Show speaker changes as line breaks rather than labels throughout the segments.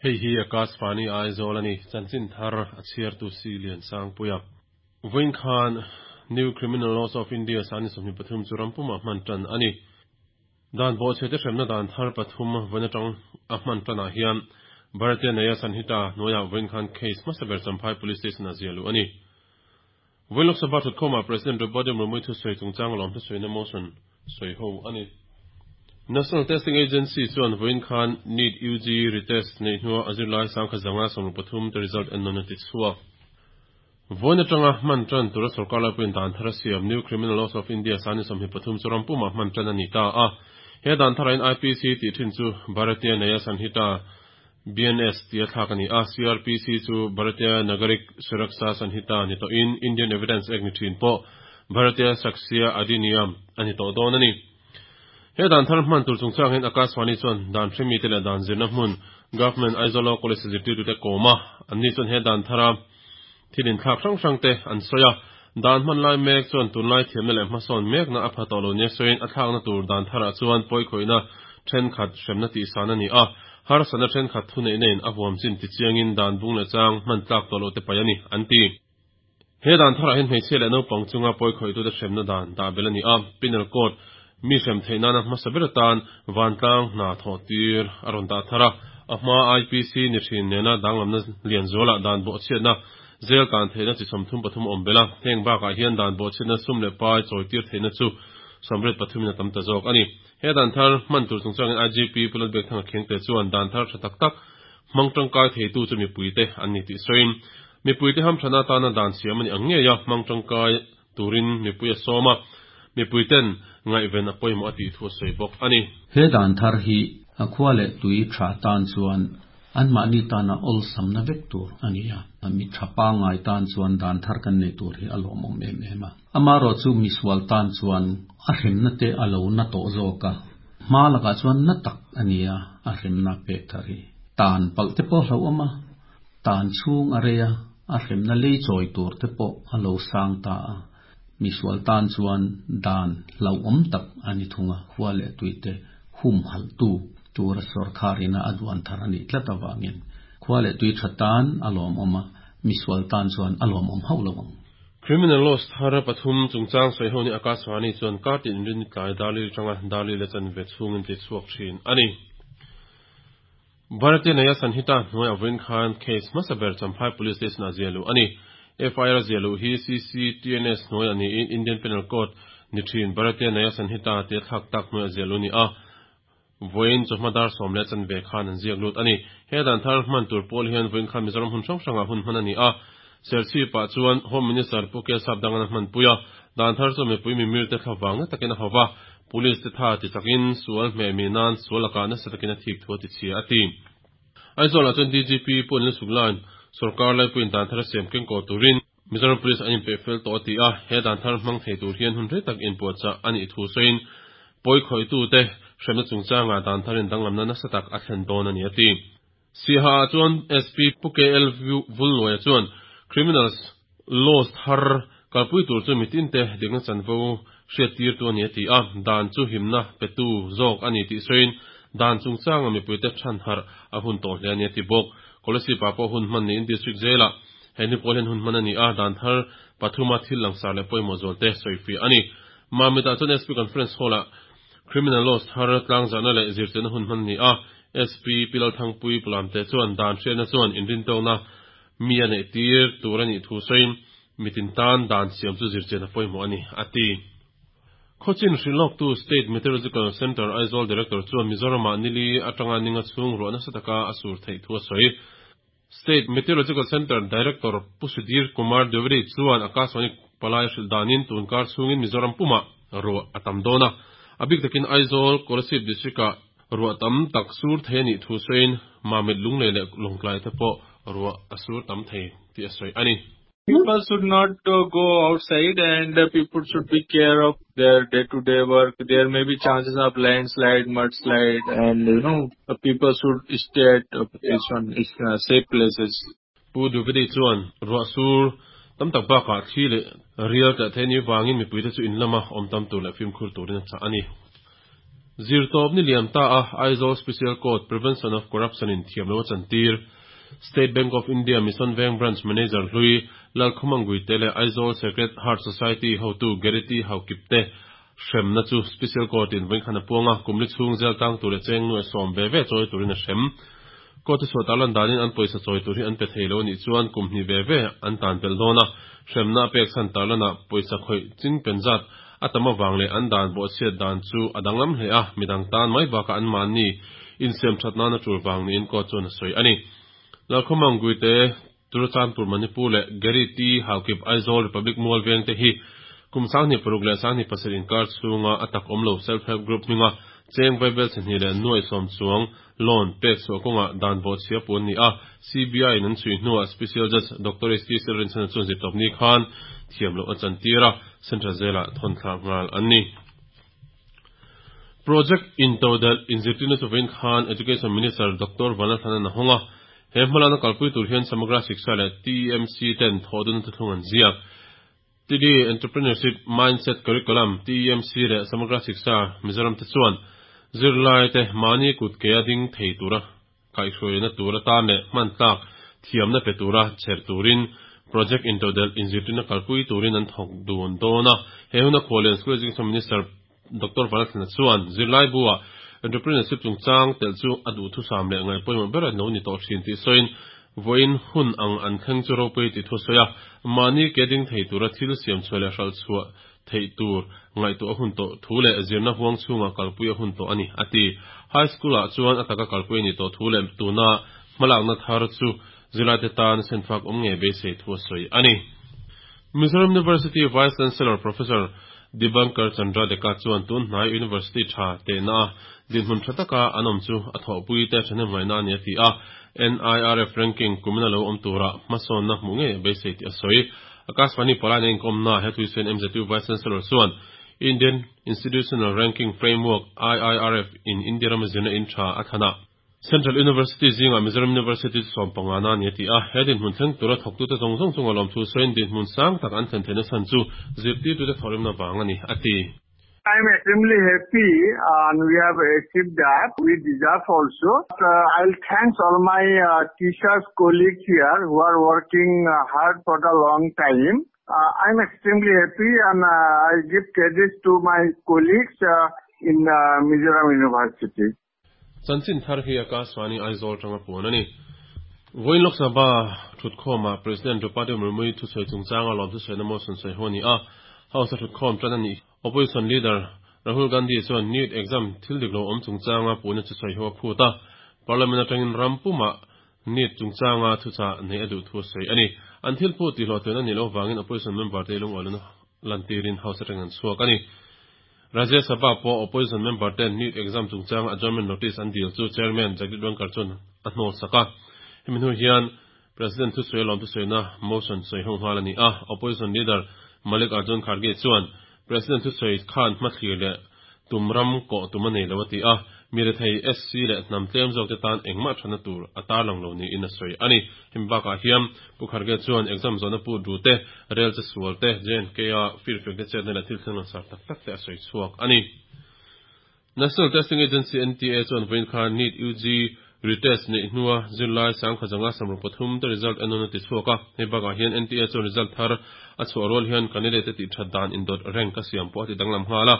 Hei hi Akashvani Aizawl a ni, chanchin thar a chhiartu si Liansangpuia. Vawiin khan New Criminal Laws of India sani 23 chu rampumah hman tan a ni. Dan bawhchhe te hremna dan thar pathum vawiin atang a hman tanah hian Bharatiya Nyaya Sanhita hnuaiah vawiin khan case hmasa ber Champhai Police Station-ah ziah luh a ni. Vawiin Lok Sabha thutkhawmah President Draupadi Murmu thusawi chungchang lawm thusawiina motion sawi ho a ni. National Testing Agency chuan vawiin khan NEET UG retest neih hnua a zirlai sangkhat zanga 63 te result en nawn a ti chhuak. Vawiin atanga hman tan tura sorkar laipuiin dan thar a siam New Criminal Laws of India sani 23 chu ram pumah hman tan a ni ta a. He dan tharahin IPC tih thin chu Bharatiya Nyaya Sanhita, BNS, tia thlak a ni a, CrPC chu Bharatiya Nagarik Suraksha Sanhita ni tawhin Indian Evidence Act ni thin pawh Bharatiya Sakshya Adhiniyam a ni tawh dawn a ni. He dan thar hman tur chungchangin Akashvani chuan dan hremi te leh dan zirna hmun Government Aizawl Law College zirtirtute kawm a, anni chuan he dan thara thil inthlak hrang hrang te an sawi a. Dan hman lai mek chuan tunlai thiamna leh hmasawn mekna a pha tawh lo nia sawiin a thlakna tur dan tharah chuan pawikhawihna thenkhat hremna tihsan a ni a, harsatna thenkhat thuneihna in a huam chin tichiangin dan bung leh chang hman tlak tawh loh te paih a ni, an ti. He dan tharah hian hmeichhia leh naupang chunga pawikhawih tute hremna dan dah belh a ni a, Penal Code mi hrem theih nana hmasa ber atan vantlang hna thawh tir a rawn dah thar a, a hma IPC ni thin nena danglamna lian zualah dan bawhchhiatna zel tan theihna chi 33 a awm belh a, heng bakah hian dan bawhchhiatna sum leh pai chawi tir theihna chu 83 in a tam ta zawk a ni. He dan thar hman tur chungchangin IGP Pu Lalbiakthanga Khengte chuan dan thar tha tak tak hmang tangkai theitu chu mipuite an ni tih sawiin mipuite hamthana atana dan siam a ni ang ngei a, hmang tangkai turin mipui a sawm a, mipuiten ngaihven a pawimawh a tih thu a sawi bawk a ni.
He dan thar hi a khua leh tui tha tan chuan anmahni tana awlsamna vek tur a ni a, mi tha pangngai tan chuan dan thar kan nei tur hi a lawmawm em em a. Amaherawh chu misual tan chuan a hremna te a lo na tawh zawk a, hma lakah chuan na tak a ni a, a hremna pek thar hi tan palh te pawh a hlauhawm a, Tan chhung a rei a, a hremna lei chawi tur te pawh a lo sang ta a, misual tan chuan dan hlauhawm tak a ni thung a, khua leh tuite humhalhtu tura sawrkhar ina a duan thar a nih tlat avangin khua leh tui tha tan a lawmawm a, misual tan chuan a lawmawm hauh lo ang.
Criminal laws thar pathum chungchang sawi ho ni Akashvani chuan kartin inrin tlai Darli atanga Darli la chanve chhungin ti chhuak thin a ni. Bharatiya Nyaya Sanhita hnuai a vawiin khan case hmasa ber Champhai Police Station-ah ziah luh a ni. FIR ziah luh hi CCTNS hnuai a niin Indian Penal Code ni thin Bharatiya Nyaya Sanhita tia thlak tak hnuai a ziah luh a ni a. Vawiin chawhma dar sawm leh chanve khan an ziak lut a ni. He dan thar hman tur pawl hian vawiin khan Mizoram hun hrang hrangah hun hman a ni a. Serchhip-ah chuan Home Minister Pu Kelsap Dangan a hmanpui a. Dan thar chu mipui mimir te thlavang na takin a hau va. Police te tha ti takin sual hmeh mi nan sual lakah nasa takin a thik thu a ti chhia a ti. Aizawlah chuan DGP Pu Anil Suklan sorkar laipuiin dan thar a siam keng kaw turin Mizoram Police an inpeh fel tawh a ti a, he dan thar hmang thei tur hian hun rei tak inpuahchah a nih thu sawiin pawi khawihtu te hremna chungchangah dan tharin danglamna nasa tak a thlen dawn a ni a ti. Siaha ah chuan SP Pu KL Vulluaia chuan Criminals Laws thar kalpui tur chu mitinte dikna chanvo hriattirtu a ni a ti a, dan chu himna petu zawk a ni tih sawiin dan chungchanga mipuite thanharh a hun tawh hle a ni a ti bawk. Kolasib ah pawh hun hman niin District Jail-ah he ni pawl hian hun hman a ni a, dan thar pathuma thil langsar leh pawimawh zualte sawifiah a ni. Mamit ah chuan SP Conference Hall-ah Criminal Laws thar tlangzahna leh zirtirna hun hman a ni a, SP Pi Lalthangpui Pulamte chuan dan hriatna chuan inrintawkna mi a neih tir tur a nih thu sawiin mitin tan dan siam chu zirchian a pawimawh a ni, a ti. Khawchin hrilhlawktu State Meteorological Centre Aizawl Director chuan Mizoramah nili atanga ninga chhung ruah nasa taka a sur theih thu a sawi. State Meteorological Centre Director Pu Sudhir Kumar Dwivedi chuan Akashvani palai hrilh danin tun kar chhungin Mizoram pumah ruah a tam dawn a, a bik takin Aizawl, Kolasib District-ah ruah tam tak sur thei a nih thu sawiin Mamit Lunglei leh Lawngtlai te pawh ruah a sur tam thei tih a sawi a ni.
People should not go outside and people should be care of their day-to-day work. There may be chances of landslide, mudslide, and you know, people should stay at safe places.
Pu Dwivedi chuan ruah sur tam tak bakah thli leh rial tla thei ni vangin mipuite chu in lama awm tam tur leh fimkhur turin a chah a ni. Zirtawp ni liam ta a Aizawl Special Court Prevention of Corruption in thiam lo a chantir. State Bank of India Mission Veng Branch Manager hlui Lalkhumang Guite leh Aizawl Sacred Heart Society hotu Gerity Haukip te hremna chu Special Court in vawikhan a puang a, kum li chhung zel tang tur leh cheng nuai sawm ve ve chawi turin a hrem. Court a chhuah tarlan danin an pawisa chawi tur hi an pe thei lo a nih chuan kum hnih ve ve an tan belh dawn a, hremna a pek chhan tarlanah pawisa khawih ching pen zat a tam avang leh an dan bawhchhiat dan chu a danglam hle a, midang tan mai bakah anmahni insiam that nana tul vang niin court chuan a sawi a ni. Lalkhawmang Guite, Churachandpur Manipur leh Gary T. Haokip Aizawl Republic Mual veng te hi kum 26 leh 27 inkar chhunga a tak awm lo Self Help Group hminga cheng vaibel chhahnih leh nuai sawm chuang loan pek chhuah kawngah dan bawhchhia puan ni a, CBI in an chhui hnuah Special Judge Doctor HT Silrinchhana chuan zirtawpni khan thiam loh a chantir a, Central Jail-ah thawn thlak nghal an ni. Project intodelh inzirtirna chu vawiin khan Education Minister Doctor Vanlalthanan a hawng a, he hmalakna kalpui tur hian Samagra Shiksha leh TMC ten thawhdunna thuthlung an ziak. TD Entrepreneurship Mindset Curriculum, TEMC, leh Samagra Shiksha Mizoram te chuan zirlaite mahni kut kea ding thei tura kaihhruaina tur atan leh hman tlak thiamna pe tura chher turin Project Intodelh inzirtirna kalpui turin an thawk dun dawn a. He huna Khuallian School Education Minister Doctor Vanlalthlana chuan zirlaibu-ah entrepreneurship chungchang telh chu a duhthusam leh ngaihpawimawh ber a lo ni tawh thin tih sawiin vawiin hun ang an thleng chu ropui tih thu a sawi a. Mahni ke ding thei tura thil siam chhuah leh hralh chhuah theih tur ngaihtuah a hun tawh thu leh zirna huang chhungah kalpui a hun tawh a ni, a ti. High School-ah chuan a taka kalpui a nih tawh thu leh tuna hmalakna thar chu zirlaite tan senfak awm ngei beisei thu a sawi a ni. Mizoram University Vice Chancellor Professor Dibankar Chandra Deka chuan tun hnai University tha tehna a dinhmun tha taka an awm chu a thawhpui te thahnem ngaihna a ni a ti a, NIRF ranking kumina lo awm tura hmasawnna hmuh ngei a beisei tih a sawi. Akashvani Palai-na inkawmna he thuisen MZU Vice Chancellor chuan Indian Institutional Ranking Framework, IIRF, in India rama zirna in tha a thlan a, Central University zingah Mizoram University chu sawmpanga na a ni a ti a, he dinhmun thleng tura thawktute zawng zawng chunga lawmthu sawiin dinhmun sang tak an thlen theihna chhan chu zirtirtute thawhrimna vang a ni, a ti.
I am extremely happy and we have achieved that. We deserve also. I will thanks all my teachers, colleagues here who are working hard for the long time. I am extremely happy and I give credit to my colleagues in Mizoram University.
Chanchin thar hi Akashvani Aizawl tanga puan a ni. Vawiin Lok Sabha thutkhawmah President Draupadi Murmu-i thusawi chungchanga lawm thusawina motion sawi ho a ni a, House a thutkhawm tan a ni. Opposition leader Rahul Gandhi chuan NEET exam thil dik lo awm chungchanga puhna chu sawi ho a phut a, Parliament atangin ram pumah NEET chungchanga thuchah neih a duh thu a sawi a ni. An thil phut tihhlawhtlin a nih loh vangin opposition member te lungawilohna lantirin House atangin an chhuak a ni. Rajya Sabha pawh Opposition member ten NEET exam chungchanga adjournment notice an dil chu Chairman Jagdeep Dhankhar chuan a hnawl sak a. Hemi hnu hian President thusawi a lawm thusawiina motion sawi ho nghal a ni a. Opposition leader Malik Arjun Kharge chuan President thusawi khan hmathlir leh tum ram kawh tum a nei lo a ti a. Mi rethei SC leh hnam tlem zawk te tan engmah thatna tur a tarlang lo niin a sawi a ni. Hemi bakah hian Pu Kharge chuan exam zawhna pu du te, rel che sual te, JNK a firfiak te chetna leh thil thleng langsar tak tak te a sawi chhuak a ni. National Testing Agency, NTA, chuan vawiin khan NEET UG retest neih hnua zirlai sangkhat zanga samruk pathum te result en nawn a ti chhuak a. Hei bakah hian NTA chuan result thar a chhuah rual hian candidate te tih that dan indawt rank a siam pawh a ti danglam nghal a.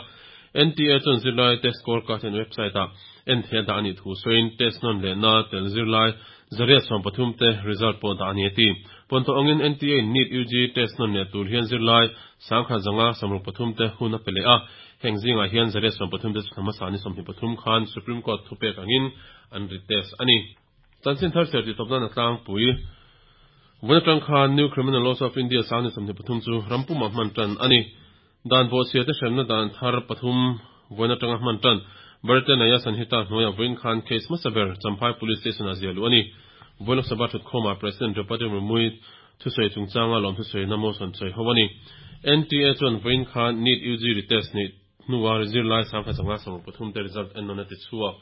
NTA chuan zirlai test score card hian website ah en theih a dah a nih thu sawiin test nawn lehna tel zirlai Zariat 13 te result pawh dah a ni a ti. Pawnthawh angin NTA in NEET UG test nawn leh tur hian zirlai sangkhat zanga 63 te hun a pe leh a. Heng zingah hian zariat 13 te chu thla hmasa ni 23 khan Supreme Court thupek angin an retest a ni. Chanchin thar chhiar tih tawp nan a tlangpui. Vawiin atang khan New Criminal Laws of India sang ni 23 chu ram pumah hman tan a ni. Dan bawhchhia te hremna dan thar pathum vawiin atanga hman tan Bharatiya Nyaya Sanhita hnuaiah vawiin khan case hmasa ber Champhai Police Station ah ziah luh a ni. Vawiin Lok Sabha thutkhawmah President Draupadi Murmu-i thusawi chungchanga lawm thusawiina motion sawi ho a ni. NTA chuan vawiin khan NEET UG retest neih hnua zirlai 15,000 te result en nawn a ti chhuak.